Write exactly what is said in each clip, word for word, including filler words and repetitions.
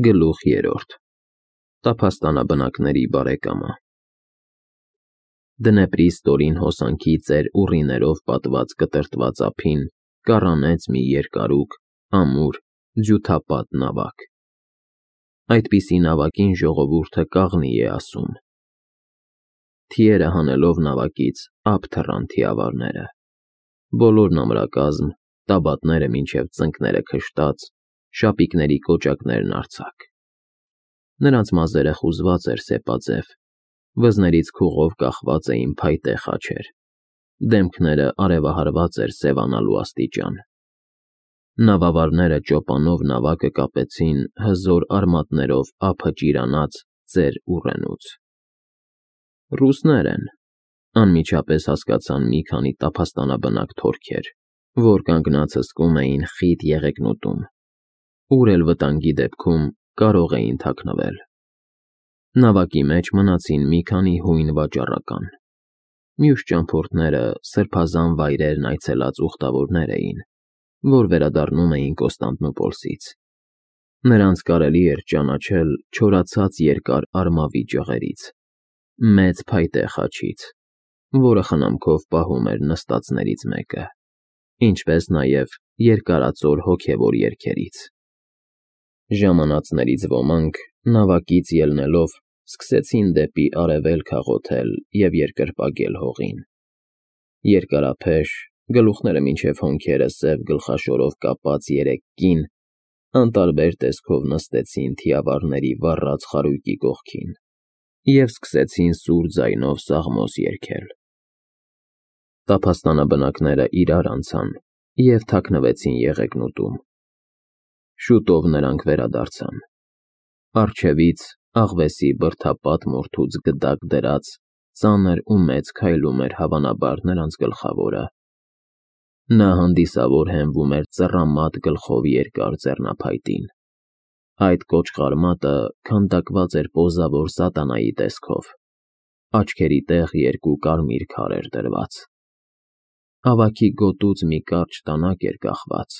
Գլուխ երրորդ Տափաստանաբնակների բարեկամը Դնեպրի ստորին հոսանքի ծեր ուռիներով պատված կտրտված ափին կառանեց մի երկարուկ, ամուր, ձյութապատ նավակ. այդպիսի նավակին ժողովուրդը կաղնի է ասում. Թիերը հանելով նավակից ափ թռան թիավարները, բոլորն ամրակազմ, տաբատները մինչև ծնկները քշտած, շապիկների կոճակներն արձակ. նրանց մազերը խուզված էր սեպաձև, վզներից քուղով կախված էին փայտե խաչեր, դեմքները արևահարված էր սևանալու աստիճան. նավավարները ճոպանով նավակը կապեցին հզոր արմատներով ափը ճիրանած ծեր ուռենուց. Ռուսներ են, անմիջապես հասկացան մի քանի տափաստանաբնակ թորքեր, որ կանգնած հսկում էին խիտ եղեգնուտում, ուր էլ վտանգի դեպքում կարող էին թաքնվել. նավակի մեջ մնացին մի քանի հույն վաճառական, մյուս ճամփորդները սրբազան վայրերն այցելած ուխտավորներ էին, որ վերադառնում էին Կոստանդնուպոլսից. նրանց կարելի էր ճանաչել չորացած երկար արմավի ճղերից, մեծ փայտե խաչից, որը խնամքով պահում էր նստածներից մեկը, ինչպես նաև երկարածոր հոգևոր երգերից. ժամանածներից ոմանք, նավակից ելնելով, սկսեցին դեպի արևելք աղոթել և երկրպագել հողին. երկարափեշ, գլուխները մինչև հոնքերը սև գլխաշորով կապած երեք կին անտարբեր տեսքով նստեցին թիավարների վառած խարույկի կողքին և սկսեցին սուր ձայնով սաղմոս երգել. տափաստանաբնակները իրար անցան և թաքնվեցին եղեգնուտում. շուտով նրանք վերադարձան. առջևից աղվեսի բրդապատ մորթուց գդակ դրած ծանր ու մեծ քայլում էր հավանաբար նրանց գլխավորը. նա հանդիսավոր հենվում էր ծռամատ գլխով երկար ձեռնափայտին, այդ կոճղար մատը քանդակված էր պոզավոր սատանայի տեսքով, աչքերի տեղ երկու կարմիր քար էր դրված. ավագի գոտուց մի կարճ տանակ էր կախված,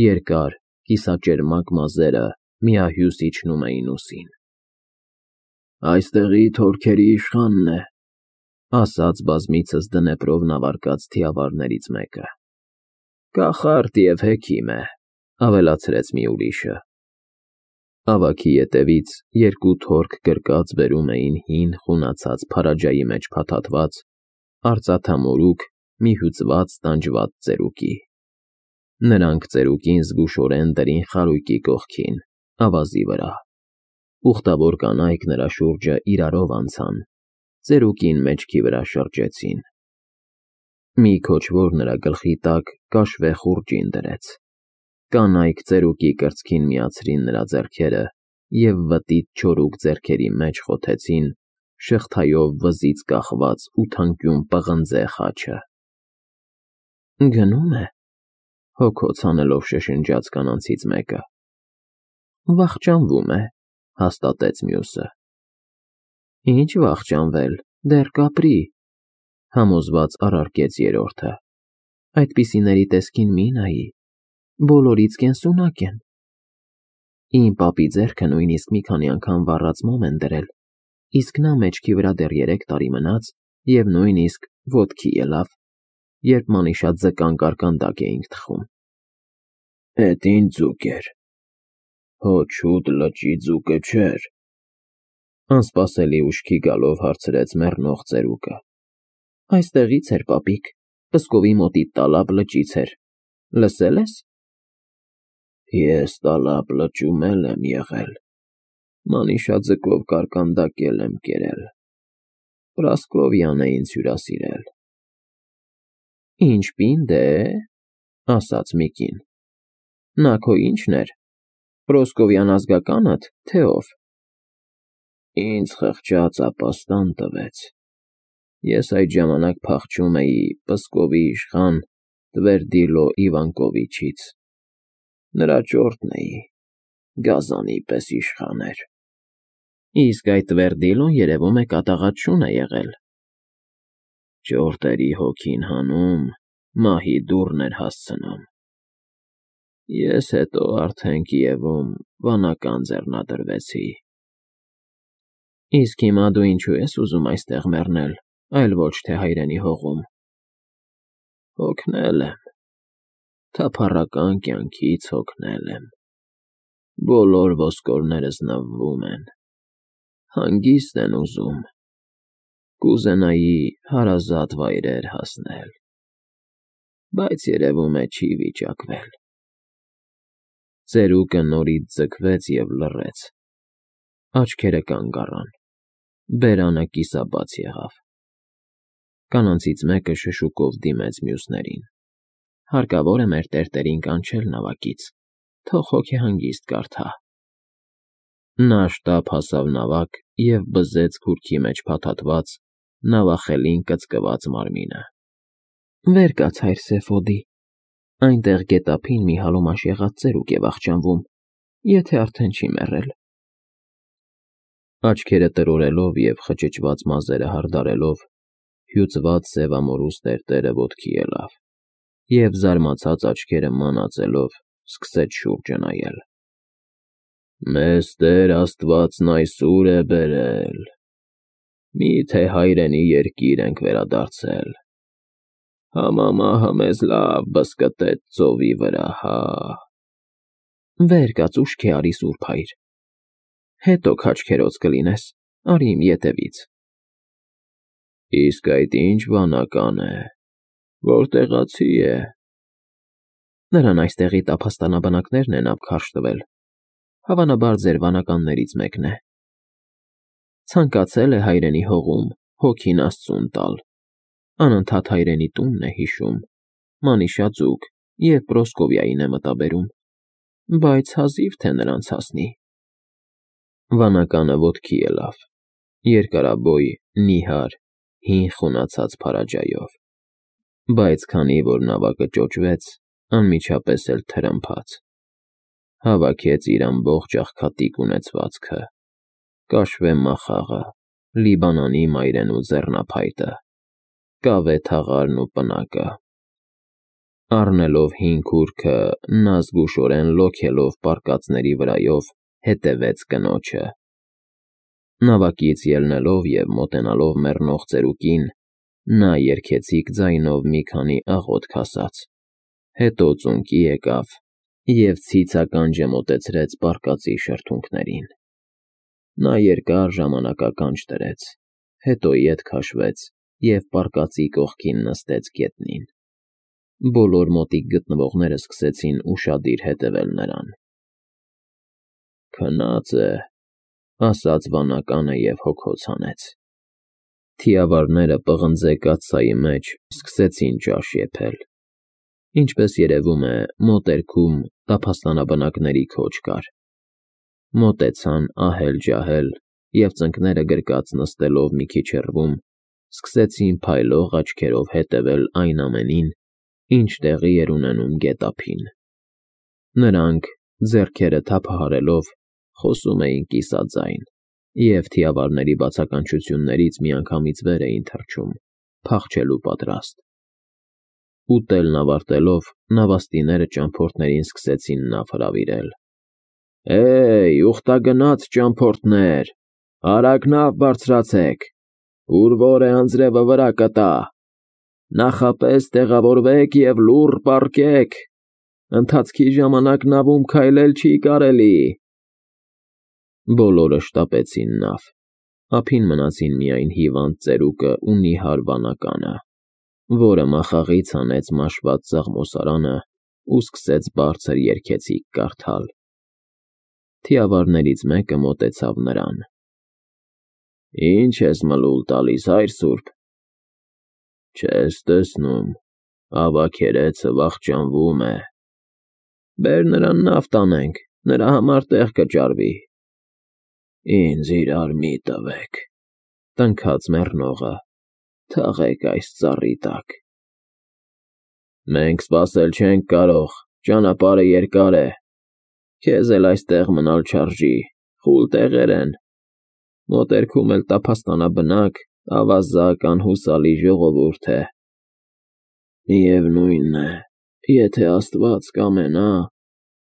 երկար, կիսաճերմակ մազերը միահյուսի իջնում էին ուսին. «Այստեղի թորքերի իշխանն է», ասաց բազմիցս դնեպրով նավարկած թիավարներից մեկը. «Կախարդ և հեքիմ է», ավելացրեց մի ուրիշը. ավագի ետևից երկու թորք գրկած բերում էին հին խունացած փարաջայի մեջ փաթաթված, արծաթամորուք մի հյուծված տանջված ծերուկի. նրանք ծերուկին զգուշորեն դրին խարույկի կողքին, ավազի վրա, ուխտավոր կանայք նրա շուրջը իրարով անցան, ծերուկին մեջքի վրա շրջեցին. մի քոչվոր նրա գլխի տակ կաշվե խուռճին դրեց, կանայք ծերուկի կրծքին միացրին նրա ձեռքերը և վտիտ չորուկ ձեռքերի մեջ խոթեցին շղթայով վզից կախված ութանկյուն պղնձե խաչը. «Գնում է», հոգոց հանելով շշնջաց կանանցից մեկը. «Վախճանվում է», հաստատեց մյուսը. «Ինչ վախճանվել, դեռ կապրի», համոզված առարկեց երրորդը. «Այդպիսիների տեսքին մի նայի, բոլորից կենսունակ են։ Իմ պապի ձեռքը նույնիսկ մի քանի անգամ վառած մոմ են դրել, իսկ նա մեջքի վրա դեռ երեք տարի մնաց և նույնիսկ ոտքի ելավ, երբ մանիշատ ձկան կարկանդակ էինք թխում»։ «Էդ ինչ ձուկ էր, հո չուտ լճի ձուկը չէր», անսպասելի ուշքի գալով հարցրեց մեռնող ծերուկը. «Այստեղից էր, պապիկ, Պսկովի մոտիկ Տալապ լճից էր, լսե՞լ ես»։ «Ես Տալապ լճում էլ եմ եղել, մանիշաձկով կարկանդակ էլ եմ կերել, Պրասկովյան է ինձ հյուրասիրել»։ «Ինչ պինդ է, ասաց մի կին, նա քո ի՞նչն էր, Պրոսկովյան ազգակա՞նդ, թե ով»։ «Ինձ խղճած ապաստան տվեց, ես այդ ժամանակ փախչում էի Պսկովի իշխան Տվերդիլո Իվանկովիչից, նրա ճորտն էի, գազանի պես իշխան էր»։ «Իսկ այդ Տվերդիլոն, երևում է, կատաղած շուն է եղել»։ «Ճորտերի հոգին հանում, մահի դուռն էր հասցնում։ Ես հետո արդեն Կիևում վանական ձեռնադրվեցի։ Իսկ հիմա դու ինչու ես ուզում այստեղ մեռնել, այլ ոչ թե հայրենի հողում։ Հոգնել եմ, թափառական կյանքից հոգնել եմ։ Բոլոր ոսկորներս նվվում են, հանգիստ են ուզում, կուզենայի հարազատ վայրեր հասնել, բայց երևում է չի վիճակվել։ Ծերուկը նորից ձգվեց և լռեց, աչքերը կանգ առան, բերանը կիսաբաց եղավ։ Կանանցից մեկը շշուկով դիմեց մյուսներին. հարկավոր է մեր տերտերին կանչել նավակից, թող հոգեհանգիստ կարդա։ Նա շտապ հասավ նավակ և բզեց քուրքի մեջ փաթաթված, նավախելին կծկված մարմինը։ Վեր կաց, հայր Սեֆոդի, այնտեղ գետափին մի հալումաշ եղած ծերուկ է վախճանվում, եթե արդեն չի մեռել։ Աչքերը տրորելով և խճճված մազերը հարդարելով, հյուծված սևամորուս տերտերը ոտքի ելավ և զարմացած աչքերը մանածելով սկսեց շուրջը նայել։ Մեզ Տեր Աստվածն այսուր է բերել, մի՞թե հայրենի երկիր ենք վերադարձել, համամահը մեզ լավ բզկտեց ծովի վրա, հա։ Վեր կաց, ուշքի արի, սուրբ հայր, հետո քաջքերոծ կլինես, արի իմ ետևից։ Իսկ այդ ինչ վանական է, որտեղացի է։ Նրան այստեղի տափաստանաբնակներն են ափ քարշ տվել, հավանաբար ձեր վանականներից մեկն է։ Ցանկացել է հայրենի հողում հոգին Աստծուն տալ, անընդհատ հայրենի տունն է հիշում, մանիշաձուկ և Պրոսկովիային է մտաբերում, բայց հազիվ թե նրանց հասնի։ Վանականը ոտքի ելավ, երկարաբոյ, նիհար, հին խունացած փարաջայով, բայց քանի որ նավակը ճոճվեց, անմիջապես էլ թրմփաց, հավաքեց իր ամբողջ աղքատիկ ունեցվածքը, կաշվե մախաղը, Լիբանանի մայրենու ձեռնափայտը, կավե թաղարն ու պնակը։ Առնելով հին քուրքը, նա զգուշորեն լոքելով պարկածների վրայով հետևեց կնոջը։ Նավակից ելնելով և մոտենալով մեռնող ծերուկին, նա երգեցիկ ձայնով մի քանի աղոթք ասաց, հետո ծունկի եկավ և ցիցականջը մոտեցրեց պարկածի շրթունքներին։ Նա երկար ժամանակականջ դրեց, հետո ետ քաշվեց և պարկածի կողքին նստեց գետնին։ Բոլոր մոտիկ գտնվողները սկսեցին ուշադիր հետևել նրան։ Քնած է, ասաց վանականը և հոգոց հանեց։ Թիավարները պղնձե կաթսայի մեջ սկսեցին ճաշ եփել։ Ինչպես երևում է, մոտերքում տափաստանաբնակների քոչ կար։ Մոտեցան ահել֊ջահել և ծնկները գրկած նստելով մի քիչ հեռվում, սկսեցին փայլող աչքերով հետևել այն ամենին, ինչ տեղի էր ունենում գետափին։ Նրանք, ձեռքերը թափահարելով, խոսում էին կիսաձայն և թիավարների բացականչություններից միանգամից վեր էին թռչում, փախչելու պատրաստ։ Ուտելն ավարտելով, նավաստիները ճամփորդներին սկսեցին նավ հրավիրել։ Է՜յ, ուխտագնաց ճամփորդներ, արագ նավ բարձրացեք, ուր որ է անձրևը վրա կտա, նախապես տեղավորվեք և լուռ պառկեք, ընթացքի ժամանակ նավում քայլել չի կարելի։ Բոլորը շտապեցին նավ, ափին մնացին միայն հիվանդ ծերուկը ու նիհար վանականը, որը մախաղից հանեց մաշված սաղմոսարանը ու սկսեց բարձր երգեցիկ կարդալ։ Թիավարներից մեկը մոտեցավ նրան. Ինչ ես մլուլ տալիս, հայր սուրբ։ Չես տեսնում, ավագերեցը վախճանվում է։ Բեր նրան նավ տանենք, նրա համար տեղ կճարվի։ Ինձ իրար մի տվեք, տնքաց մեռնողը, թաղեք այս ծառի տակ։ Մենք սպասել չենք կարող, ճանապարհը երկար է, քեզ էլ այստեղ մնալ չարժի, խուլ տեղեր են, մոտերքում էլ տափաստանաբնակ, ավազակ, անհուսալի ժողովուրդ է։ Միևնույն է, եթե Աստված կամենա,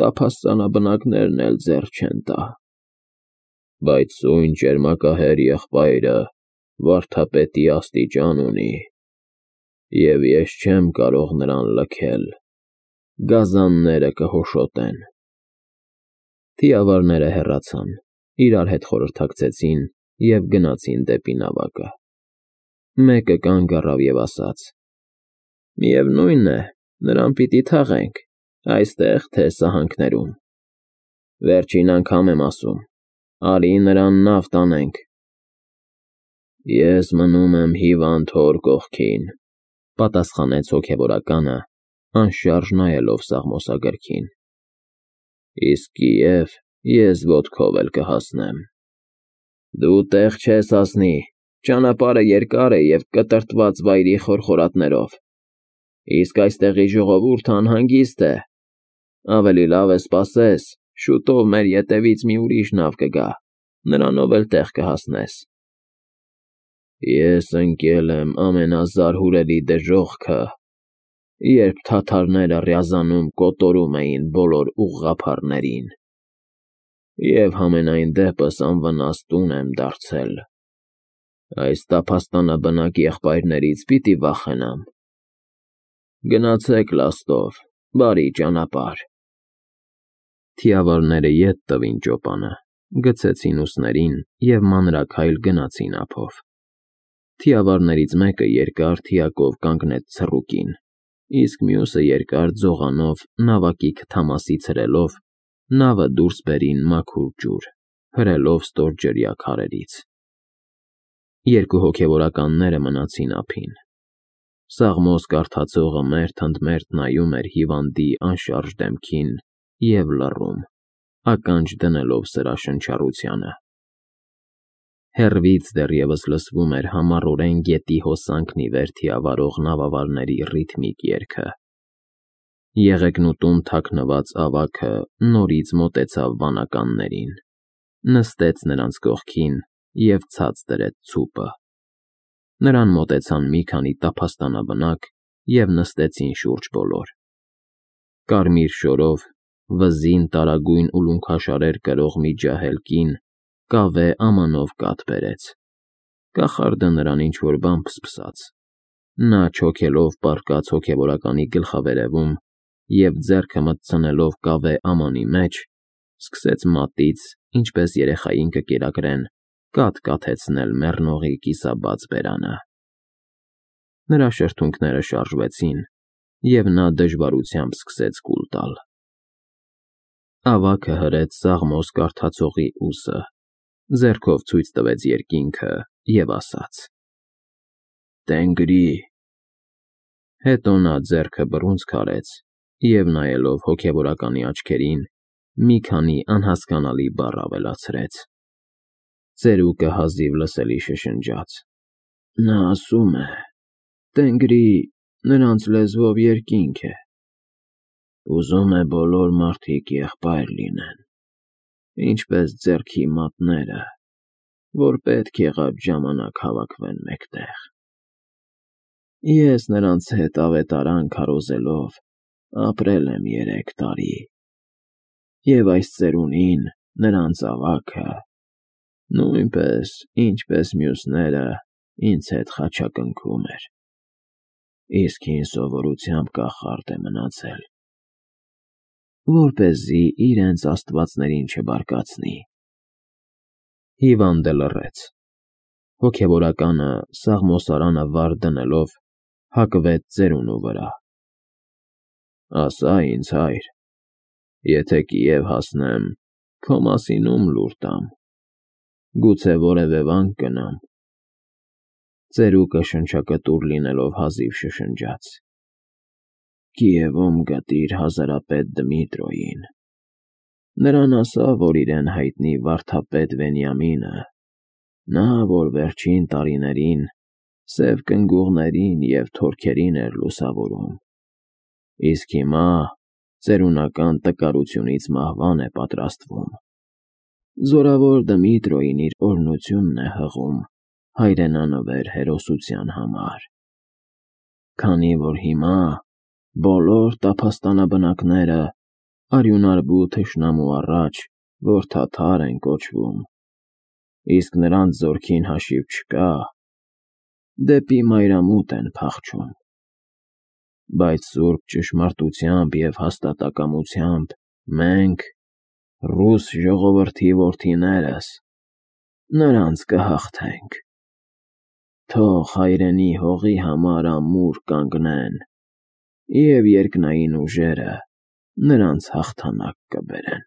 տափաստանաբնակներն էլ ձեռ չեն տա։ Բայց սույն ճերմակահեր եղբայրը վարդապետի աստիճան ունի, և ես չեմ կարող նրան լքել, գազանները կհոշոտեն։ Թիավարները հեռացան, իրար հետ խորհրդակցեցին և գնացին դեպի նավակը։ Մեկը կանգ առավ և ասաց. «Միևնույն է, նրան պիտի թաղենք, այստեղ, թե սահանքներում։ Վերջին անգամ եմ ասում, արի նրան նավ տանենք»։ Ես մնում եմ հիվանդ հոր կողքին, պատասխանեց հոգևորականը, անշարժ նայելով սաղմոսագրքին։ Իսկ Կիև ես ոտքով էլ կհասնեմ։ Դու տեղ չես հասնի, ճանապարհը երկար է և կտրտված վայրի խորխորատներով, իսկ այստեղի ժողովուրդը անհանգիստ է։ Ավելի լավ է սպասես, շուտով մեր ետևից մի ուրիշ նավ կգա, նրանով էլ տեղ կհասնես։ Ես ընկել եմ ամենազարհուրելի դժոխքը, երբ թաթարները ռյազանում կոտորում էին բոլոր ուղղափառներին, և համենայն դեպս անվնաս տուն եմ դարձել։ Այս տափաստանաբնակ եղբայրներից պիտի վախենամ։ Գնացեք լաստով, բարի ճանապարհ։ Թիավարները ետ տվին ճոպանը, գցեցին ուսներին և մանրաքայլ գնացին ափով։ Թիավարներից մեկը երկար թիակով կանգնեց ցռուկին, իսկ մյուսը երկար ձողանով նավակի քթամասից հրելով նավը դուրս բերին մաքուր ջուր, հրելով ստորջրյա քարերից։ Երկու հոգևորականները մնացին ափին։ Սաղմոս կարդացողը մերթ ընդ մերթ նայում էր հիվանդի անշարժ դեմքին և լռում, ականջ դնելով սրա շնչառությանը։ Հեռվից դեռևս լսվում էր համառորեն գետի հոսանքն ի վեր թիավարող նավավարների ռիթմիկ երգը։ Եղեգնուտում թաքնված ավագը նորից մոտեցավ վանականներին, նստեց նրանց կողքին և ցած դրեց ցուպը։ Նրան մոտեցան մի քանի տափաստանաբնակ և նստեցին շուրջ բոլոր։ Կարմիր շորով, վզին տարագույն ուլունքաշարեր կրող մի ջահել կին կավե ամանով կաթ բերեց։ Կախարդը նրան ինչ֊որ բան փսփսաց։ Նա չոքելով պառկած հոգևորականի գլխավերևում և ձեռքը մտցնելով կավե ամանի մեջ, սկսեց մատից, ինչպես երեխային կկերակրեն, կաթ կաթեցնել մեռնողի կիսաբաց բերանը։ Նրա շրթունքները շարժվեցին, և նա դժվարությամբ սկսեց կուլ տալ։ Ավագը հրեց սաղմոս կարդացողի ուսը, ձեռքով ցույց տվեց երկինքը և ասաց. «Տենգրի»։ Հետո նա ձեռքը բռունցք արեց և, նայելով հոգևորականի աչքերին, մի քանի անհասկանալի բառ ավելացրեց։ Ծերուկը հազիվ լսելի շշնջաց. «Նա ասում է. Տենգրի նրանց լեզվով երկինք է։ Ուզում է բոլոր մարդիկ եղբայր լինեն, ինչպես ձեռքի մատները, որ պետք եղած ժամանակ հավաքվեն մեկտեղ։ Ես նրանց հետ ավետարան քարոզելով ապրել եմ երեք տարի, և այս ծերունին, նրանց ավագը, նույնպես, ինչպես մյուսները, ինձ հետ խաչակնքում էր, իսկ հին սովորությամբ կախարդ է մնացել, որպեսզի իրենց աստվածներին չբարկացնի»։ Հիվանդը լռեց։ Հոգևորականը, սաղմոսարանը վար դնելով, հակվեց ծերունու վրա։ «Ասա ինձ, հայր, եթե Կիև հասնեմ, քո մասին ում լուր տամ, գուցե որևէ վանք գնամ»։ Ծերուկը շնչակտուր լինելով հազիվ շշնջաց. «Կիևում գտիր հազարապետ Դմիտրոյին, նրան ասա, որ իրեն հայտնի վարդապետ Վենյամինը, նա, որ վերջին տարիներին սև կնգուղներին և թորքերին էր լուսավորում, իսկ հիմա ծերունական տկարությունից մահվան է պատրաստվում։ Զորավոր Դմիտրոյին իր օրհնությունն է հղում հայրենանվեր հերոսության համար, քանի որ հիմա բոլոր տափաստանաբնակները արյունարբու թշնամու առաջ որդաթար են կոչվում, իսկ նրանց զորքին հաշիվ չկա, դեպի մայրամուտ են փախչում, բայց սուրբ ճշմարտությամբ և հաստատակամությամբ մենք, ռուս ժողովրդի որդիներս, նրանց կհաղթենք, թող հայրենի հողի համար ամուր կանգնեն և երկնային ուժերը նրանց հաղթանակ կբերեն։